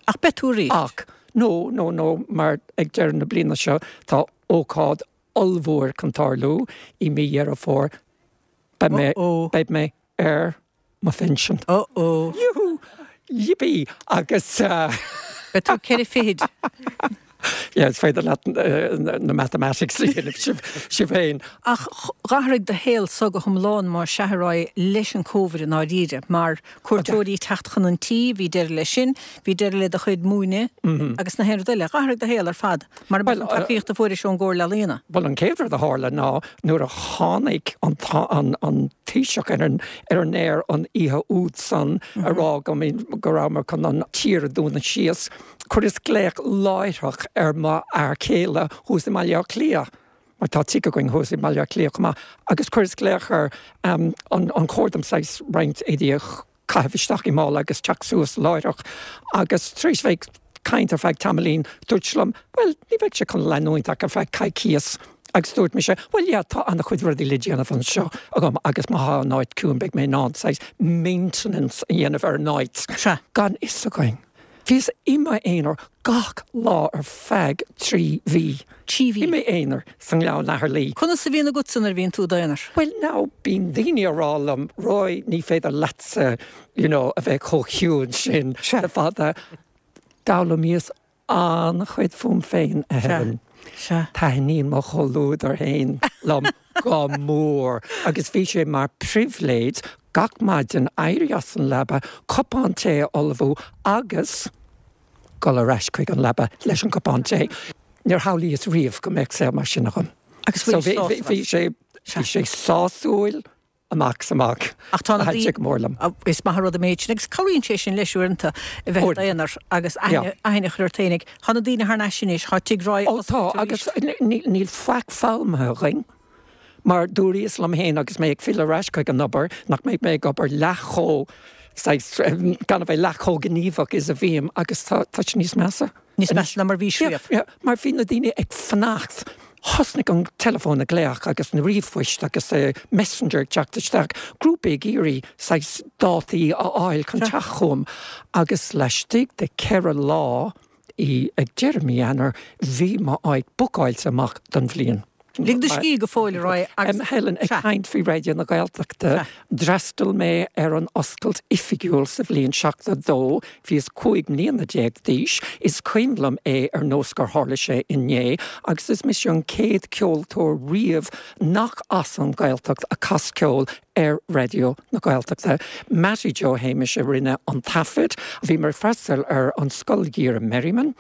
Ach beidh tú arís. Ach no, no, no, mar ag deireadh na bliana seo tá ócáid ollmhór chun tarlú i mí Dheireadh Fómhair. Beidh mé, beidh mé ar mo phinsean. Uh-oh. Yoo-hoo! Yippee! Agus. Beidh tú ceithre fichid. Yeah, is féidir leat na mathematics a dhéanamh sibh, sibh féin. Ach dh'athraigh do shaol so go hiomlán más ea a Roy leis an Covid i ndáiríre, mar cuairteoirí ag teacht chun an tí, bhí deireadh leis sin, bhí deireadh le do chuid múineadh agus na haon rud eile. Dh'athraigh do shaol ar fad. Mara mbeadh an tacaíocht a fuairis ón gComhairle Ealaíona. Bhuel, an chéad rud a tharla ná nuair a tháinig an an Taoiseach ar an ar an aer an oíche úd san a rá go go rabhamar chun an tír a dúnadh síos, chuireas glaoch láithreach ar mo fhear céile thuas i mBaile Átha Cliath, mar tá tigh againn thuas i mBaile Átha Cliath chomh maith, agus chuireas glaoch air an an chóir dom saghas roinnt éadaí a caitheamh isteach i mála agus teacht suas láithreach agus tar éis bheith ag caint ar feadh tamaillín dúirt sé liom bhuel ní bheidh sé chun leanúint ach ar feadh coicíos agus dúirt mise bhuel yeah tá an-chuid rudaí le déanamh anseo agam agus má thá an áit ciúin beidh mé in ann saghas maintenance a dhéanamh ar an áit. Sea. Gan fhios againn. Bhíos i m'aonar gach lá ar feadh 3 mhí. 3 mhí. I m'aonar sa nGleann Atharlaí. Conas a bhíonn agatsa nuair a bhíonn tú i d'aonar? Bhuel now, bíonn daoine a rá liom, Roy, ní féidir leatsa, you know, a bheith chomh ciúin sin le fada. D'fhoghlaimíos an-chuid fúm féin, a Helen. Sea. Taitníonn mo chomhluadar féin liom go mór agus bhí sé mar pribhléid gach maidin éirí as an leaba, cupán tae a ullmhú agus dul ar ais chuig an leaba leis an gcupán tae. Níor shamhlaíos riamh go mbeadh saol mar sin agam. Agus So bhí, bhí sé, bhí sé sásúil amach is amach. Ach tá na Thaitin sé go mór liom. Is maith an rud an méid sin agus cabhraíonn sé sin leis uaireanta a bheith i d'aonar agus aithne, aithne a chur ort féinig. Tá na daoine thar n-ais anois, tá Tigh Roy Ó tá, agus níl faic foghlamtha againn. Mar dúraíos liom féin agus mé ag filleadh ar ais chuig an obair nach mbeidh mé ag obair leath chomh. saghas, gan a bheith leath chomh gníomhach is a bhím agus tá sé níos measa. Níos measa ná mar bhís riamh. Yeah, mar bhí na daoine ag fanacht. Thosnaigh an teileafón ag glaoch agus na ríomhphoist agus messenger ag teacht isteach, grúpaí ag iarraidh saghas dátaí a fháil chun teacht chugam agus laistigh de cheithre lá, i ag deireadh mí Eanáir, bhí m'áit bookáilte amach don bhliain. Lig do scíth go fóill a Roy agus. Helen, ag caint faoi Raidió na Gaeltachta, d'fhreastail mé ar an oscailt oifigiúil sa bhliain 72, bhíos 15 mbliana d'aois, is cuimhin liom é ar nós gur tharla sé inné, agus is mise an chéad ceoltóir riamh nach as an Ghaeltacht a chas ceol ar Raidió na Gaeltachta. Mattie Joe Shéamais a rinne an taifead. Bhí mé ag freastal ar an Scoil Gheimhridh Merriman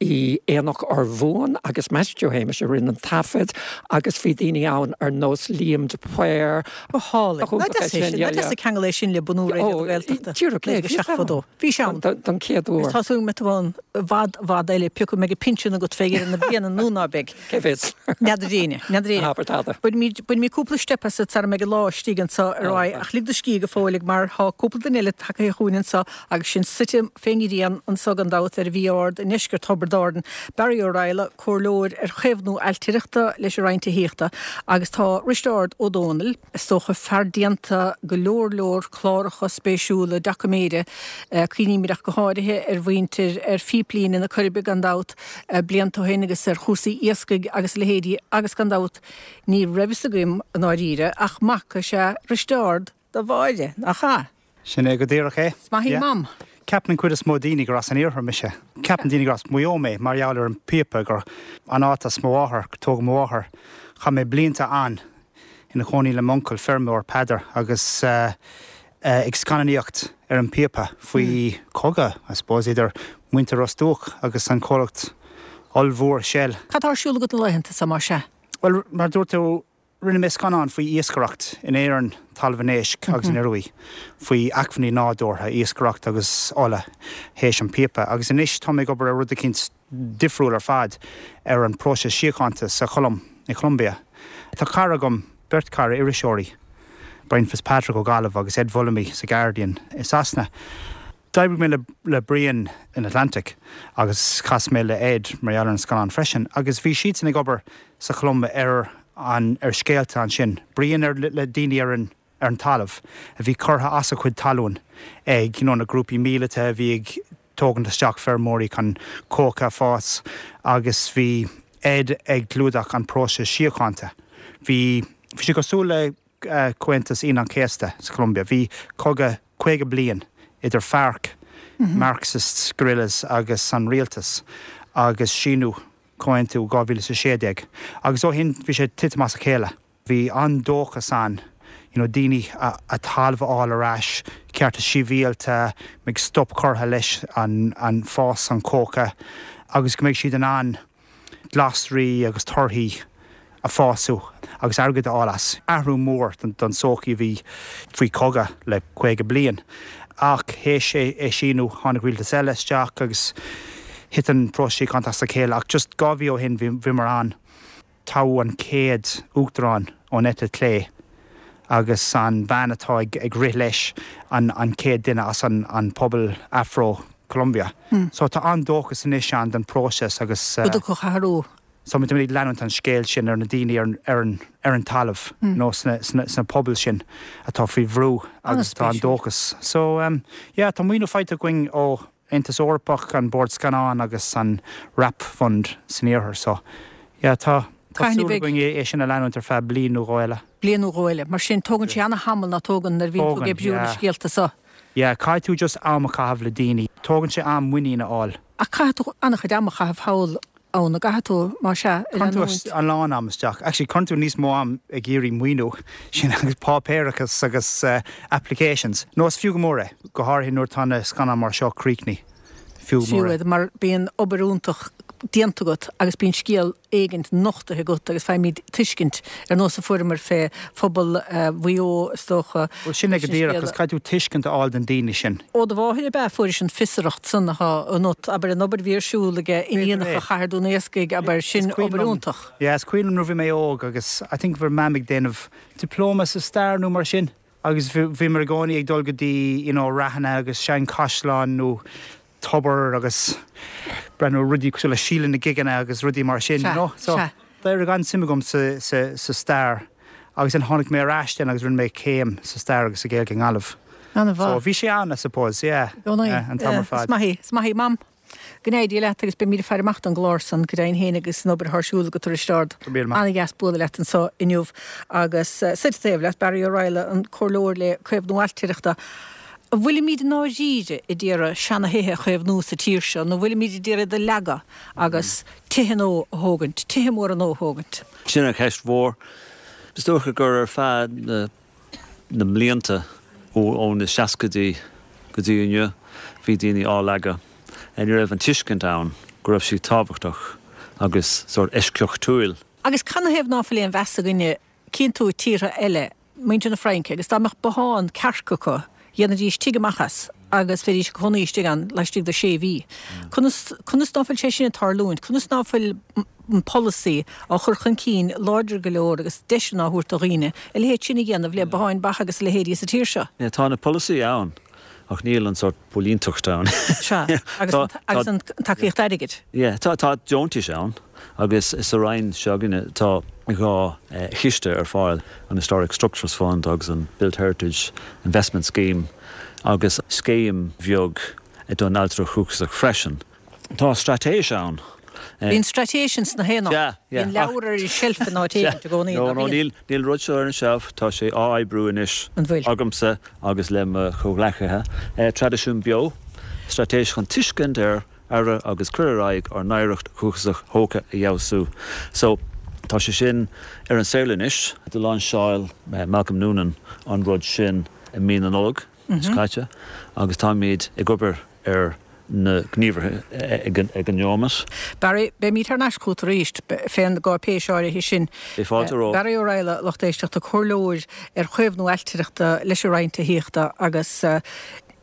i Aonach Urmhumhan agus Mattie Joe Shéamais a rinne an taifead agus bhí daoine ann ar nós Liam de Paor. Go hálainn. Nach deas é sin? Nach deas an ceangal é sin le bunú Raidió na Gaeltachta? Díreach é. 1972. Bhí sé ann. Don chéad uair. Agus tá súil go mbeidh tú ann i bhfad, i bhfad eile, pé acu an mbeidh an pinsean agat fé dheireadh na bliana nó ná beidh. Cé bhfios? N'fheadar éinne. N'fheadar éinne. Abair tada. Bainfimid, bainfimid cúpla steip asat sara mbeidh an lá istigh anso a Roy, ach lig do scíth go fóill mar tá cúpla duine eile tagtha chugainn anso agus sinn suite fén ngrian anso gan dabht ar an Mhí Ard i ndeisceart Thiobraid Árann. Barry Ó Raghallaigh, Comhairleoir ar chaomhnú ailtireachta leis an Roinn Tithíochta agus tá Risteárd Ó Dónaill, is dócha, fear déanta go leor leor cláracha spéisiúla doiciméide, cuimhnímid ach go háirithe ar mhuintir ar phíplíne na Coiribe gan dabht, blianta ó shin agus ar chúrsaí iascaigh agus a leithéidí agus gan dabht ní raibh fhios agam i ndáiríre ach mac is ea Risteárd do Mháire, nach ea? Sin é go díreach é. Is maith í Mam. Ceapann an cuid is mó daoine gur as an iarthar mise. Ceapann daoine gur as Maigh Eo mé mar gheall ar an píopa, gur an áit as mo mháthair, gur tógadh mo mháthair. Chaith mé blianta ann ina chónaí le m'uncail feirmeoir, Peadar, agus ag scannánaíocht ar an píopa faoi cogadh, I suppose, idir muintir Ros Dumhach agus an comhlacht ollmhór Shell. Cad tá ar siúl agat na laethanta seo, más ea? Bhuel, mar a dúirt tú, rinne mé scannán faoi iascaireacht in Éirinn, Talamh an Éisc agus an Ioruaidh, faoi acmhainní nádúrtha, iascaireacht agus ola théis an píopa. Agus anois tá mé ag obair ar rud eicínt difriúil ar fad, ar an próiseas síochánta sa Cholóim, i Colombia. Tá cara agam, beirt cara, iriseoirí, Brian Fitzpatrick ó Gaillimh agus Ed Vulliamy sa Guardian i Sasana. D'oibrigh mé le Brian in Atlantic agus chas mé le Ed mar gheall ar an scannán freisin agus bhí siadsan ag obair sa Cholóim ar an ar scéalta ansin. Brian ar le daoine ar an ar an talamh a bhí curtha as a chuid talún ag you know na grúpaí míleata a bhí ag tógaint isteach feirmeoirí chun cóca a fás agus bhí Ed ag clúdach an próiseas síochánta. Bhí bhí sé cosúil le Comhaontas Aoine an Chéasta sa Cholombia. Bhí cogadh 50 bliain idir FARC, Marxist guerrillas, agus an rialtas agus síniú comhaontú 2016 agus ó shin bhí sé ag titim as a chéile. Bhí an-dóchas ann you know daoine a talamh a fháil ar ais, cearta sibhialta, go mbeidh stop curtha leis an an fás an cóca agus go mbeidh siad in ann glasraí agus torthaí a fású agus airgead a fháil as. Athrú mór don tsochaí a bhí faoi chogadh le 50 bliain. Ach théis é a síniú tháinig rialtas eile isteach agus thit an próiseas síochánta as a chéile. Ach just 2 mhí ó shin bhíomar ann. Toghadh an chéad uachtarán ón eite chlé agus an bhean atá ag rith leis an chéad duine as an pobal Afro Colombia. So tá an-dóchas anois ann don próiseas agus. Go dtiocfadh athrú. So muid ag leanúint an scéil sin ar na daoine ar ar an talamh nó sna pobail sin atá faoi bhrú agus tá an-dóchas. So yeah tá maoiniú faighte againn ó Aontas Eorpach, an Bord Scannán agus an Wrap Fund san Iarthar. So, yeah, tá tá súil againn é sin a leanúint ar feadh bliain nó dhó eile. Bliain nó dhó eile. Mar sin, tógann sé ana-thamall, ná tógann, nuair a bhíonn tú ag oibriú ar na scéalta so? Yeah, caithfidh tú just am a chaitheamh le daoine. Tógann sé am muinín a fháil. Ach caithfidh tú an-chuid ama a chaitheamh thall ann, an gcaithfidh tú, más ea, a leanúint? Cuireann tú a lán am isteach. Actually, cuireann tú níos mó am ag iarraidh maoiniú, sin agus páipéarachas agus applications. No, is fiú go mór é, go háirithe nuair atá na scannáin mar seo críochnaithe. Fiú go mór é. Mar bíonn obair iontach déanta agat agus bíonn scéal éigint nochtaithe agat agus faighimid tuiscint, ar nós a fuaireamar fé phobal Mhaigh Eo, is dócha. Bhuel, sin é go díreach, agus caithfidh tú tuiscint a fháil den daoine sin. Ó do mháthair ab ea a fuairis an fiosracht san atá ionat, abair, an obair a bhí ar siúl aige iníonacha Chathair Dún Iascaigh, abair, sin obair iontach. Yeah, is cuimhin liom nuair a bhí mé óg agus I think bhí Mam ag déanamh dioplóma sa stair nó mar sin. Agus bhíomar i gcónaí ag dul go dtí you know ráthanna agus seanchaisleáin nó tobar agus breathnú ar rudaí cosúil le Síle na Gigeanna agus rudaí mar sin, you know. So d'éirigh an-suim agam sa, sa, sa stair agus then tháinig mé ar ais then agus rinne mé céim sa stair agus sa Ghaeilge i nGaillimh. An-mhaith. So bhí sé ann, I suppose, yeah, yeah, an t-am ar fad. Is maith í, is maith í, Mam. Go n-éirí leat agus beimid ag faire amach don gclár san, go deimhin féin agus an obair atá ar siúl agat tar éis ard. An-dheas bualadh leat anseo inniu agus suite taobh leat, Barry Ó Raghallaigh, an Comhairleoir le Caomhnú Ailtireachta. An bhfuilimid i ndáiríre a d'iarraidh seana-thithe a chaomhnú sa tír seo nó bhfuilimid a d'iarraidh iad a leagadh agus tithe nua a thógaint, tithe móra nua a thógaint? Sin an cheist mhór. Is dócha gur ar feadh na. na mblianta, ó na seascaidí go dtí inniu, bhí daoine á leagadh. Ní raibh an tuiscint ann go raibh siad tábhachtach agus sórt eisceachtúil. Agus canathaobh ná fuil aon mheas againne, cíonn tú tíortha eile, muintir na Fraince, agus dá mbeadh bothán cearc acu, dhéanfaidís tigh amach as agus bheidís ag cónaí istigh ann laistigh de shé mhí. Conas, conas ná fuil sé sin ag tarlúint? Conas ná fuil an polasaí á chur chun cinn láidir go leor agus deiseanna á thabhairt do dhaoine a leithéid sin a dhéanamh le botháin mhaithe agus a leithéidí sa tír seo? Yeah, tá na polasaí ann ach níl an sórt póilínteacht ann. Sea, agus an, agus an tacaíocht airgid. Yeah, tá, tá deontais ann agus sa Roinn seo againne tá 2 chiste ar fáil, an Historic Structures Fund agus an Built Heritage Investment Scheme agus scéim bheag don ailtireacht dhúchasach freisin. Tá straitéis ann. Bíonn straitéis ins na haon áit. Bíonn leabhar ar an tseilf in áit éigint i gcónaí, ná bíonn? Níl an rud seo ar an tseilf, tá sé á oibriú anois agamsa agus le mo chomhghleacaithe. Traidisiún Beo, straitéis chun tuiscint ar aire agus cur ar aghaidh ár n-oidhreacht dhúchasach thógtha a fheabhsú. So, tá sé sin ar an saol anois. Do lainseáil Malcolm Noonan an rud sin i mí na Nollag seo caite agus táimid ag obair ar na gníomhartha ag an neomat. Barry, beimid thar n-ais chugat arís fén gcáipéis áirithe sin. Beidh fáilte romhat. Barry Ó Raghallaigh, lucht éisteachta, comhairleoir ar chaomhnú ailtireachta leis an Roinn Tithíochta agus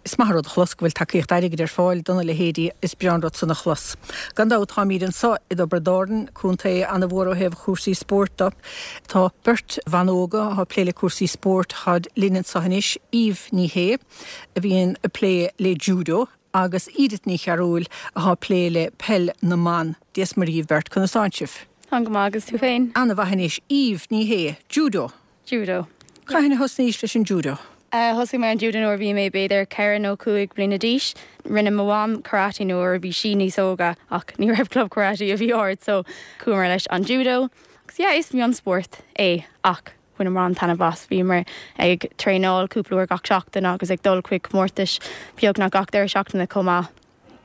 is maith an rud a chlos go bhfuil tacaíocht airgid ar fáil dona leithéidí, is breá an rud san a chlos. Gan dabht táimíd anso i dTiobraid Árann, contae ana-mhór ó thaobh chúrsaí spóirt de. Tá beirt bhan óga atá ag plé le cúrsaí spóirt, táid linn anso anois, Eve Ní Shé, a bhíonn ag plé le judo agus Edith Ní Chearúil atá ag plé le peil na mban. Dia is Muire dhíbh beirt, conas tánn sibh? Táim go maith agus tú féin? Ana-mhaith anois. Eve Ní Shé, judo. Judo. Cathain a thosnaís leis an judo? Thosaigh mé an judo nuair a bhí mé b'fhéidir 4 nó 5 bliana d'aois. Rinne mo mham karate nuair a bhí sí níos óga ach ní raibh club karate i bhí Ard so chuamar leis an judo. Agus yeah is mionspórt é ach Bhaineamar an-taitneamh as. Bhíomar ag traenáil cúpla uair gach seachtain agus ag dul chuig comórtais beagnach gach deireadh seachtaine chomh maith.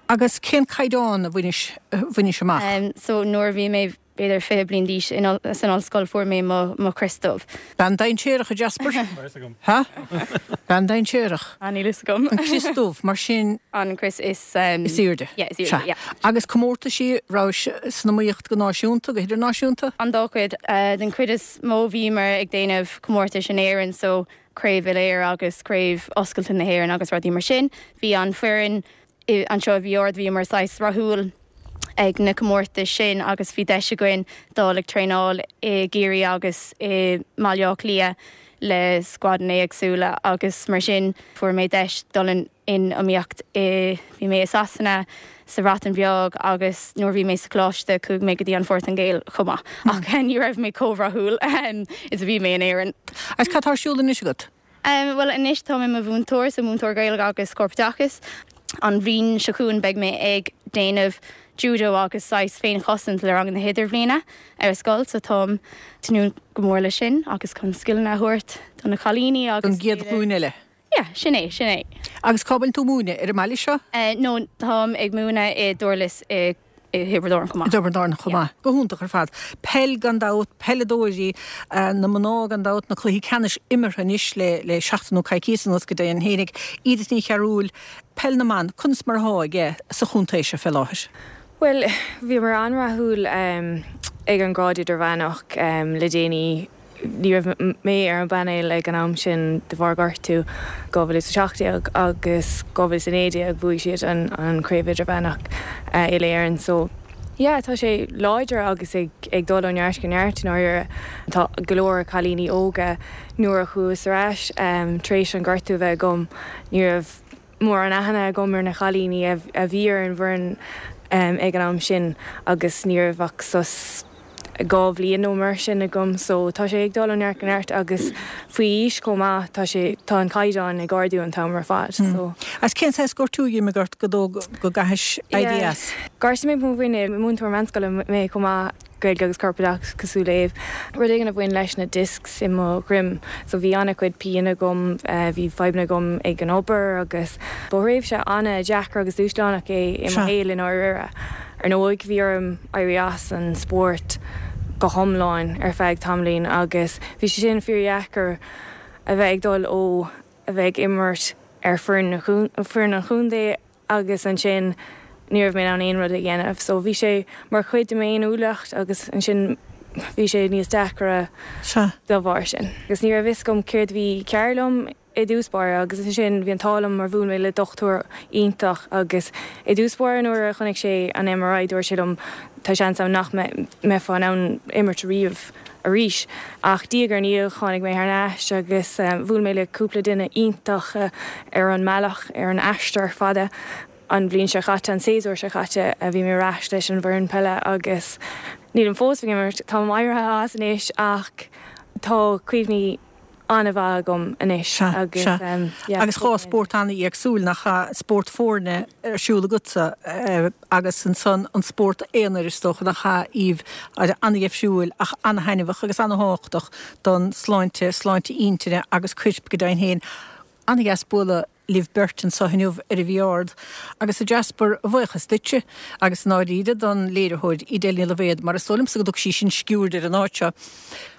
Agus cén caighdeán a bhainis, bhainis amach? So nuair a bhí mé b'fhéidir 20 bliain d'aois san ollscoil fuair mé mo mo chrios dubh. Bean dainséarach a Jasper? Ha? Bean dainséarach. Ah níl fhios agam. An crios dubh, mar sin. An crios is. Is airde. Yeah, is airde, yeah. Agus comórtaisí, rabhais san iomaíocht go náisiúnta, go hidirnáisiúnta? An dá chuid. Den chuid is mó bhíomar ag déanamh comórtais in Éirinn so Craobh Uile-Éireann agus Craobh Oscailte na hÉireann agus rudaí mar sin. Bhí an foireann anseo i bhí Ard, bhíomar saghas rathúil ag na comórtais sin agus bhí deis againn dul ag traenáil i gCiarraí agus i mBaile Átha Cliath le scuadanna éagsúla agus mar sin fuair mé deis dul in in iomaíocht i bhí mé i Sasana, sa Bhreatain Bheag agus nuair a bhí mé sa choláiste chuaigh mé go dtí an Phortaingéil chomh maith ach ní raibh mé chomh rathúil is a bhí mé in Éirinn. Agus cad tá ar siúl anois agat? Bhuel anois tá mé i mo mhúinteoir, so múinteoir Gaeilge agus Corpoideachais. An bhliain seo chugainn beidh mé ag déanamh judo agus saghas féinchosaint le ranganna na hidirbhliana ar scoil so táim tnúth go mór leis sin agus chun scileanna a thabhairt do na cailíní agus Don gcéad ghlúin eile. Yeah, sin é, sin é. Agus cá bhfuil tú ag múineadh? Ar an mbaile seo? No, táim ag múineadh i Durlas i Thiobraid Árann chomh maith. I dTiobraid Árann chomh maith. Go hiontach ar fad. Peil gan dabht, peileadóirí na mná gan dabht, na cluichí ceannais imeartha anois le le seachtain nó coicíos anuas go deimhin fhéinig. Edith Ní Chearúil, peil na mban, conas mar athá aige sa chontae seo fé láthair? Bhuel, bhíomar an-rathúil ag an grád idirmheánach le déanaí. Ní raibh mé ar an bpainéal ag an am sin de bharr gortú. 2017 agus 2019 bhuaigh siad an Chraobh Idirmheánach Uile-Éireann so. Yeah, tá sé láidir agus ag ag dul ó neart go neart i ndáiríre. Tá go leor cailíní óga nuair a chuas ar ais tar éis an gortú a bheith agam, ní raibh mórán aithne agam ar na cailíní a bhí ar an bhfoireann ag an am sin agus ní raibh ach sos 2 bhliain nó mar sin agam so tá sé ag dul ó neart go neart agus faoi aois chomh maith tá sé, tá an caighdeán ag ardú an t-am ar fad so. Agus cén saghas gortú a d'imigh ort go dóigh go gcaithis éirí as? Gortaigh mé mo mhuinéal, múinteoir meánscoile mé chomh maith, Gaeilge agus Corpoideachas cosúil le Aodh. Rud éigin a bhain leis na discs i mo dhroim so bhí an-chuid pian agam, bhí fadhbanna agam ag an obair agus ba thréimhse an-deacair agus dúshlánach é i mo shaol i ndáiríre. Ar ndóigh bhí orm éirí as an spórt go hiomlán ar feadh tamaillín agus bhí sé sin fíordheacair a bheith ag dul ó a bheith ag imirt ar foireann an chontae agus ansin ní raibh mé in ann aon rud a dhéanamh. So bhí sé mar chuid de m'fhéiniúlacht agus ansin bhí sé níos deacra dá bharr sin. Agus ní raibh fhios agam céard a bhí cearr liom i dtús báire agus ansin bhí an t-ádh liom mar bhuail mé le dochtúir iontach agus i dtús báire nuair a chonaic sé an MRI dúirt sé liom tá seans ann nach mbeifeá in ann imirt riamh arís ach diaidh ar ndiaidh tháinig mé thar n-ais agus bhuail mé le cúpla duine iontach ar an mbealach ar an aistear fada. An bhliain seo caite, an séasúr seo caite, bhí mé ar ais leis an bhfoireann peile agus nílim fós ag imirt, táim éirithe as anois ach tá cuimhní an-mhaith agam anois agus yeah. Agus 2 spórt an-éagsúil, nach ea? Spórt foirne ar siúl agatsa agus ansan an spórt aonair is dócha, nach ea, Aoibh, an-dheifriúil ach an-thaitneamhach agus an-thábhachtach don sláinte, sláinte intinne agus coirp go deimhin féin. An-dheas bualadh libh beirt anseo inniu ar an Mhí Ard agus a Jasper, a bhuíochas duitse agus i ndáiríre don léiritheoir Edel Ní Loibhéad mar is dóigh liomsa go dtug sí sin sciuird ar an áit seo.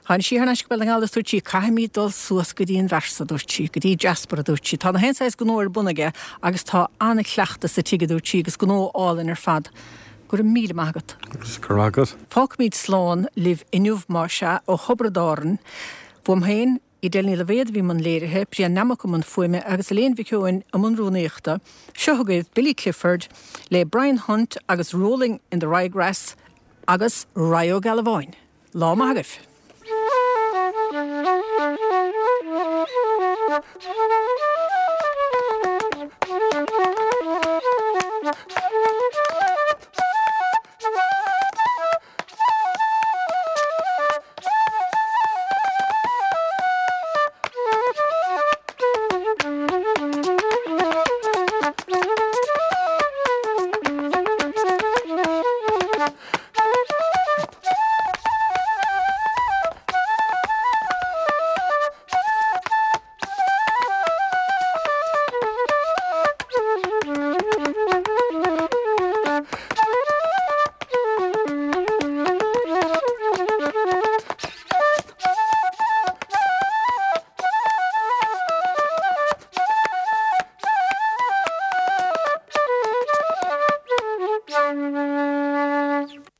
Tháinig sí thar n-ais go Béal na nGall is dúirt sí 'Caithfimid dul suas go dtí an bhfear so' a dúirt sí, 'go dtí Jasper' a dúirt sí. 'Tá na haon saghas gnó ar bun aige agus tá an-chleachtadh sa tigh' a dúirt sí 'agus gnó álainn ar fad. Go raibh míle maith agat. Agus go raibh maith agat. Fágfaimid slán libh inniu más ea ó Thiobraid Árann. Uaim féin, Edel Ní Loibhéad a bhí i mbun léirithe, Brian Nammock i mbun fuaime agus Elaine Mhic Eoin i mbun rúnaíochta. Seo chugaibh Billy Clifford le Brian Hunt agus Rolling in the Rye Grass agus Rye Ó Gealbháin. Lá maith agaibh!